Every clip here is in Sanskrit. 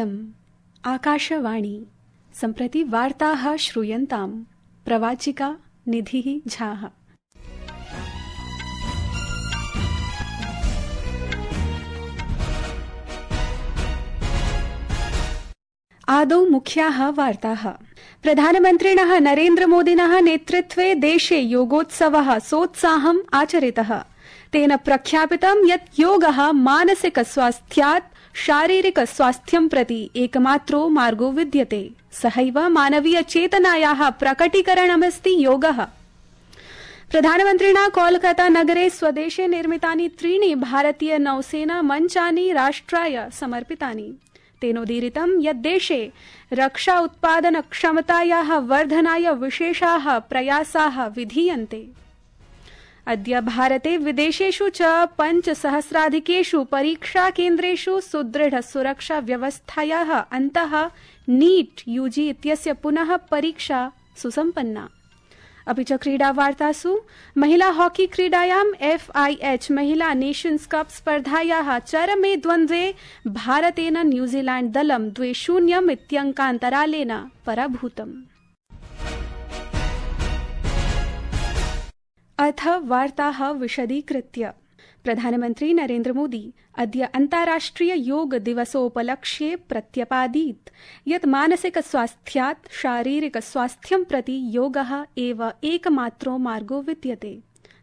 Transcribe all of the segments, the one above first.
इदम् आकाशवाणी। सम्प्रति वार्ताः श्रूयन्ताम्। प्रवाचिका निधिः झाः। आदौ मुख्याः वार्ताः। प्रधानमन्त्रिणः नरेन्द्रमोदिनः नेतृत्वे देशे योगोत्सवः सोत्साहम् आचरितः। तेन प्रख्यापितं यत् योगः मानसिक स्वास्थ्यात् शारीरिक स्वास्थ्यं प्रति एकमात्रो मार्गो विद्यते। सहैव मानवीय चेतनायाः प्रकटीकरणमस्ति योगः। प्रधानमन्त्रिणा कोलकाता नगरे स्वदेशे निर्मितानि 3 भारतीय नौसेना मञ्चानि राष्ट्राय समर्पितानि। तेनोदीरितं यत् देशे रक्षा उत्पादन क्षमतायाः वर्धनाय विशेषाः प्रयासाः विधीयन्ते। अद्य भारते विदेशेषु च 5,000,000 परीक्षा केन्द्रेषु सुदृढ सुरक्षा व्यवस्थायाः अन्तः नीट यूजी इत्यस्य पुनः परीक्षा सुसम्पन्ना। अपि च क्रीडावार्तासु महिला हॉकी क्रीडायां FIH महिला नेशन्स कप स्पर्धायाः चरमे द्वन्द्वे भारतेन न्यूजीलैण्ड दलं 2-0 इत्यङ्कान्तरालेन पराभूतम्। अथ वार्ताः विशदीकृत्य। प्रधानमन्त्री नरेन्द्र मोदी अद्य अन्ताराष्ट्रिय योग दिवसोपलक्ष्ये प्रत्यपादीत् यत् मानसिक स्वास्थ्यात् शारीरिक स्वास्थ्यं प्रति योगः एव एकमात्रो मार्गो विद्यते।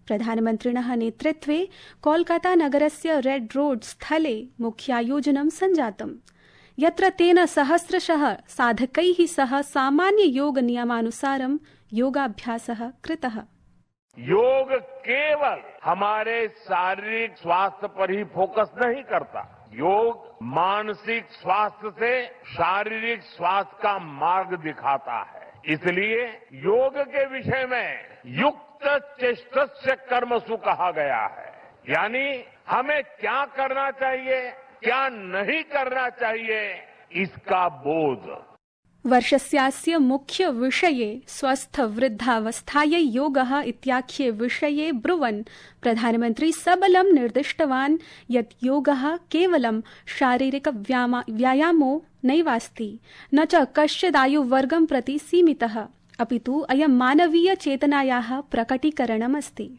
प्रधानमन्त्रिणः नेतृत्वे कोलकाता नगरस्य रेड रोड स्थले मुख्यायोजनं सञ्जातम्, यत्र तेन सहस्रशः साधकैः सह सामान्य योग नियमानुसारं योगाभ्यासः कृतः। योग केवल हमारे शारीरिक स्वास्थ्य पर ही फोकस नहीं करता। योग मानसिक स्वास्थ्य से शारीरिक स्वास्थ्य का मार्ग दिखाता है। इसलिए योग के विषय में युक्त चेष्टस्य कर्मसु कहा गया है, यानी हमें क्या करना चाहिए, क्या नहीं करना चाहिए, इसका बोध। वर्षस्यास्य मुख्य विषये स्वस्थ वृद्धावस्थायै योगः इत्याख्ये विषये ब्रुवन् प्रधानमन्त्री सबलं निर्दिष्टवान् यत् योगः केवलं शारीरिक व्यायामो नैवास्ति, न च कश्चिदायुवर्गं प्रति सीमितः, अपितु अयं मानवीय चेतनायाः प्रकटीकरणमस्ति।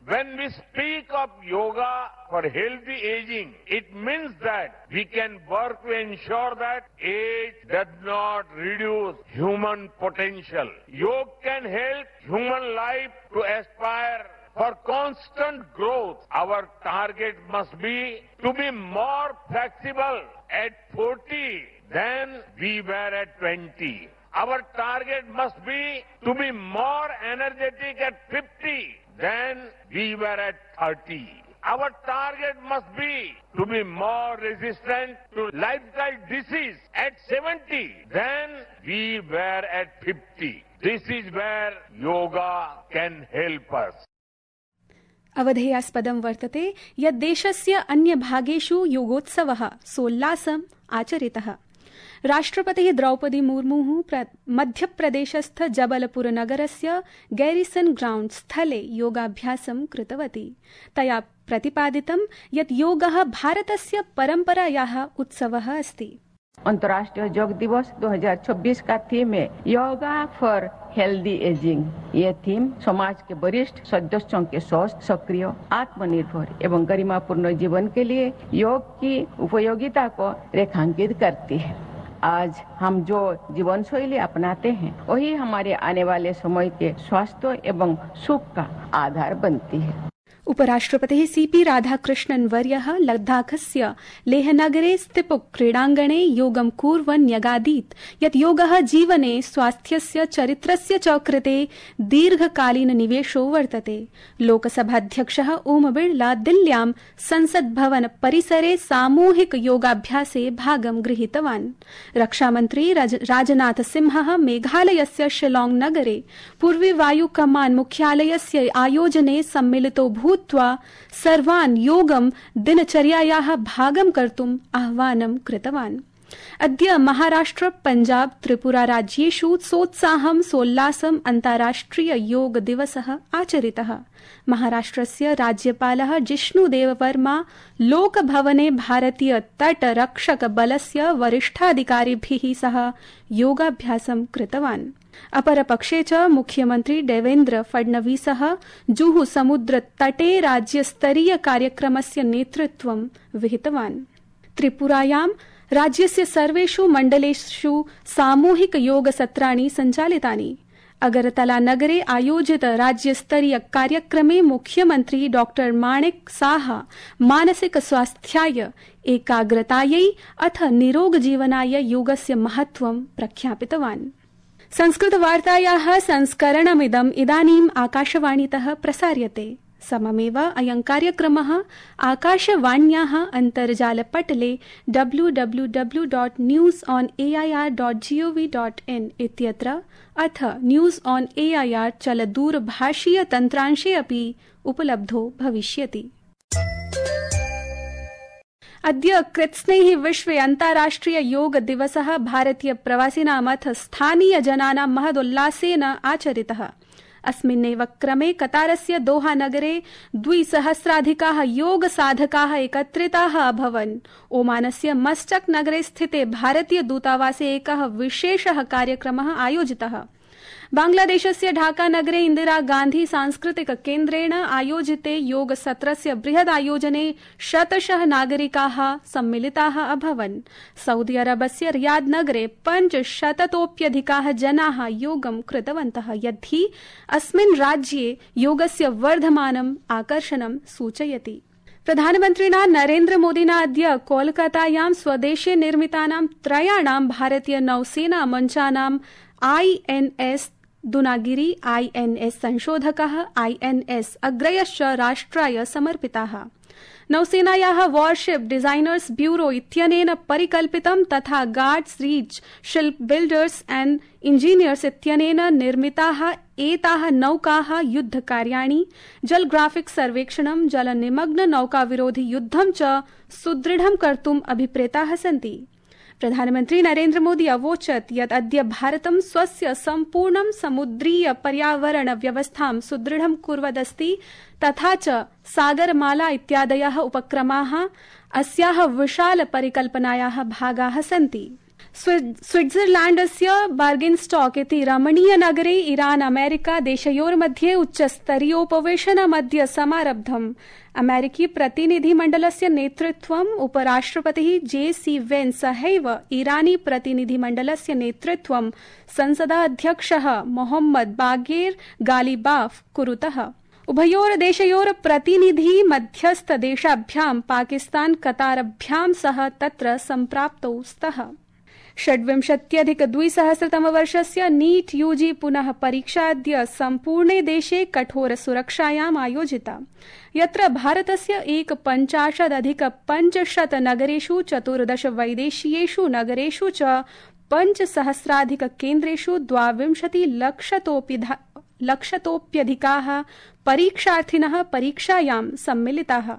When we speak of yoga for healthy aging, it means that we can work to ensure that age does not reduce human potential. Yoga can help human life to aspire for constant growth. Our target must be to be more flexible at 40 than we were at 20. Our target must be to be more energetic at 50 than we were at 30. Our target must be to be more resistant to lifestyle disease at 70 than we were at 50. This is where yoga can help us. अवधेयास्पदं वर्तते यत् देशस्य अन्यभागेषु योगोत्सवः सोल्लासम् आचरितः। राष्ट्रपतिः द्रौपदी मुर्मुः मध्यप्रदेशस्थ जबलपुर नगरस्य गैरिसन ग्राउण्ड स्थले योगाभ्यासं कृतवती। तया प्रतिपादितं यत् योगः भारतस्य परम्परायाः उत्सवः अस्ति। अंतर्राष्ट्रीय योग दिवस 2026 का थीम है योगा फॉर हेल्दी एजिंग। ये थीम समाज के वरिष्ठ सदस्यों के स्वस्थ, सक्रिय, आत्मनिर्भर एवं गरिमापूर्ण जीवन के लिए योग की उपयोगिता को रेखांकित करती है। आज हम जो जीवन शैली अपनाते हैं वही हमारे आने वाले समय के स्वास्थ्य एवं सुख का आधार बनती है। उपराष्ट्रपतिः CP राधाकृष्णन् वर्यः लद्दाखस्य लेहनगरे स्थित क्रीडाङ्गणे योगं कुर्वन् न्यगादीत् यत् योगः जीवने स्वास्थ्यस्य चरित्रस्य च कृते दीर्घकालीन निवेशो वर्तते। लोकसभाध्यक्षः ओम बिड़ला दिल्ल्यां संसद भवन परिसरे सामूहिक योगाभ्यासे भागं गृहीतवान्। रक्षामन्त्री राजनाथ सिंहः मेघालयस्य शिलांग नगरे पूर्वी वायु कमान मुख्यालयस्य आयोजने सम्मिलितो भूत्वा सर्वान् योगं दिनचर्यायाः भागं कर्तुम् आह्वानं कृतवान्। अद्य महाराष्ट्र पञ्जाब त्रिपुरा राज्येषु सोत्साहं सोल्लासं अन्ताराष्ट्रिय योग दिवसः आचरितः। महाराष्ट्रस्य राज्यपालः जिष्णुदेववर्मा लोकभवने भारतीय तटरक्षक बलस्य वरिष्ठाधिकारिभिः सह योगाभ्यासं कृतवान्। अपरपक्षे च मुख्यमन्त्री देवेन्द्र फडणवीसः जुहु समुद्र तटे राज्यस्तरीय कार्यक्रमस्य नेतृत्वं विहितवान्। त्रिपुरायां राज्यस्य सर्वेषु मण्डलेषु सामूहिक योगसत्राणि सञ्चालितानि। अगरतला नगरे आयोजित राज्यस्तरीय कार्यक्रमे मुख्यमन्त्री डॉ माणिक साहा मानसिक स्वास्थ्याय एकाग्रतायै अथ निरोगजीवनाय योगस्य महत्त्वं प्रख्यापितवान्। संस्कृतवार्तायाः संस्करणमिदम् इदानीम् आकाशवाणीतः प्रसार्यते। सममेव अयं कार्यक्रमः आकाशवाण्याः अन्तर्जालपटले www.newsonair.gov.in इत्यत्र अथ न्यूज़ ऑन एआईआर चलदूरभाषीय तन्त्रांशे अपि उपलब्धो भविष्यति। अद्य कृत्स्नैः विश्वे अन्ताराष्ट्रिय योग दिवसः भारतीय प्रवासिनाम् अथ स्थानीय जनानां महदोल्लासेन आचरितः। अस्मिन्नेव क्रमे कतारस्य दोहा नगरे 2,000 योग साधकाः एकत्रिताः अभवन्। ओमानस्य मस्कट नगरे स्थिते भारतीय दूतावासे एकः विशेषः कार्यक्रमः आयोजितः। बांग्लादेशस्य ढाका नगरे इंदिरा गांधी सांस्कृतिक केन्द्रेण आयोजिते योग सत्रस्य बृहद् आयोजने शतशः नागरिकाः सम्मिलिताः अभवन्। सऊदी अरबस्य रियाद नगरे 500तोऽप्यधिकाः जनाः योगं कृतवन्तः, यद्धि अस्मिन् राज्ये योगस्य वर्धमानम् आकर्षणं सूचयति। प्रधानमन्त्रिणा नरेन्द्र मोदिना अद्य कोलकातायां स्वदेशे निर्मितानां त्रयाणां भारतीय नौसेना मञ्चानां INS दुनागिरी, INS संशोधकः, INS अग्रयश्च राष्ट्राय समर्पिताः। नौसेनायाः वॉरशिप डिजाइनर्स ब्यूरो इत्यनेन परिकल्पितं तथा guards reach ship builders and engineers इत्यनेन निर्मिताः एताः नौकाः युद्धकार्याणि, जल ग्राफिक्स सर्वेक्षणं, जलनिमग्न नौकाविरोधि युद्धं च सुदृढं कर्तुम् अभिप्रेताः सन्ति। प्रधानमन्त्री नरेन्द्र मोदी अवोचत् यत् अद्य भारतं स्वस्य सम्पूर्णं समुद्रीय पर्यावरण व्यवस्थां सुदृढं कुर्वदस्ति तथा च सागरमाला इत्यादयः उपक्रमाः अस्याः विशाल परिकल्पनायाः भागाः सन्ति। स्विट्जरलैण्डस्य बर्गेनस्टॉक इति रमणीय नगरे ईरान अमेरिका देशयोर्मध्ये उच्चस्तरीयोपवेशनमद्य समारब्धम्। अमेरिकी प्रतिनिधिमण्डलस्य नेतृत्वम् उपराष्ट्रपतिः JC वेन्स सहैव ईरानी प्रतिनिधिमण्डलस्य नेतृत्वं संसदाध्यक्षः मोहम्मद बागेर गालिबाफ कुरुतः। उभयोर्देशयोर् प्रतिनिधि मध्यस्थ देशाभ्यां पाकिस्तान कतारभ्यां सह तत्र सम्प्राप्तौ स्तः। 26,200 नीट यूजी पुनः परीक्षा अद्य सम्पूर्णे देशे कठोर सुरक्षायाम् आयोजिता, यत्र भारतस्य 51,500 नगरेषु 14 वैदेशीयेषु नगरेषु च 5,000 केन्द्रेषु 22 लक्षतोऽप्यधिकाः परीक्षार्थिनः परीक्षायां सम्मिलिताः।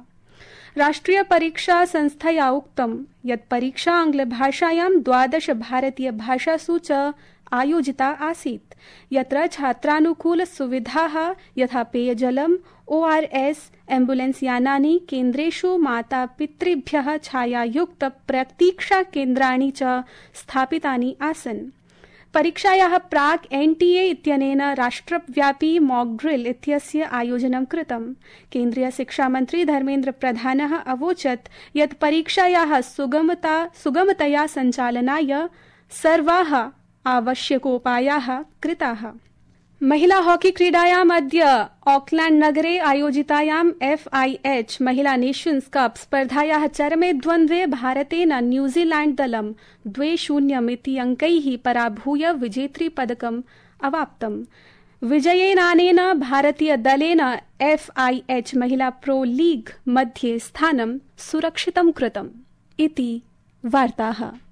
राष्ट्रिय परीक्षा संस्थया उक्तं यत् परीक्षा आंग्लभाषायां 12 भारतीय भाषासु च आयोजिता आसीत्, यत्र छात्रानुकूल सुविधाः यथा पेयजलम्, ORS, एम्बुलेंस यानानि, केन्द्रेषु मातापितृभ्यः छायायुक्त प्रतीक्षा केन्द्राणि च स्थापितानि आसन्। परीक्षायाः प्राक् NTA इत्यनेन राष्ट्रव्यापी मॉक ड्रिल इत्यस्य आयोजनं कृतम्। केन्द्रीय शिक्षामन्त्री धर्मेन्द्र प्रधानः अवोचत् यत् परीक्षायाः सुगमतया सञ्चालनाय सर्वाः आवश्यकोपायाः कृताः। महिला हॉकी क्रीडायाम् अद्य ऑकलैंड नगरे आयोजितायां FIH महिला नेशन्स कप स्पर्धायाः चरमे द्वन्द्वे भारतेन न्यूजीलैंड दलं 2-0 इति अंकैः पराभूय विजेतृ पदकम् अवाप्तम्। विजयेनानेन भारतीय दलेन FIH महिला प्रो लीग मध्ये स्थानं सुरक्षितं कृतम्। इति वार्ताः।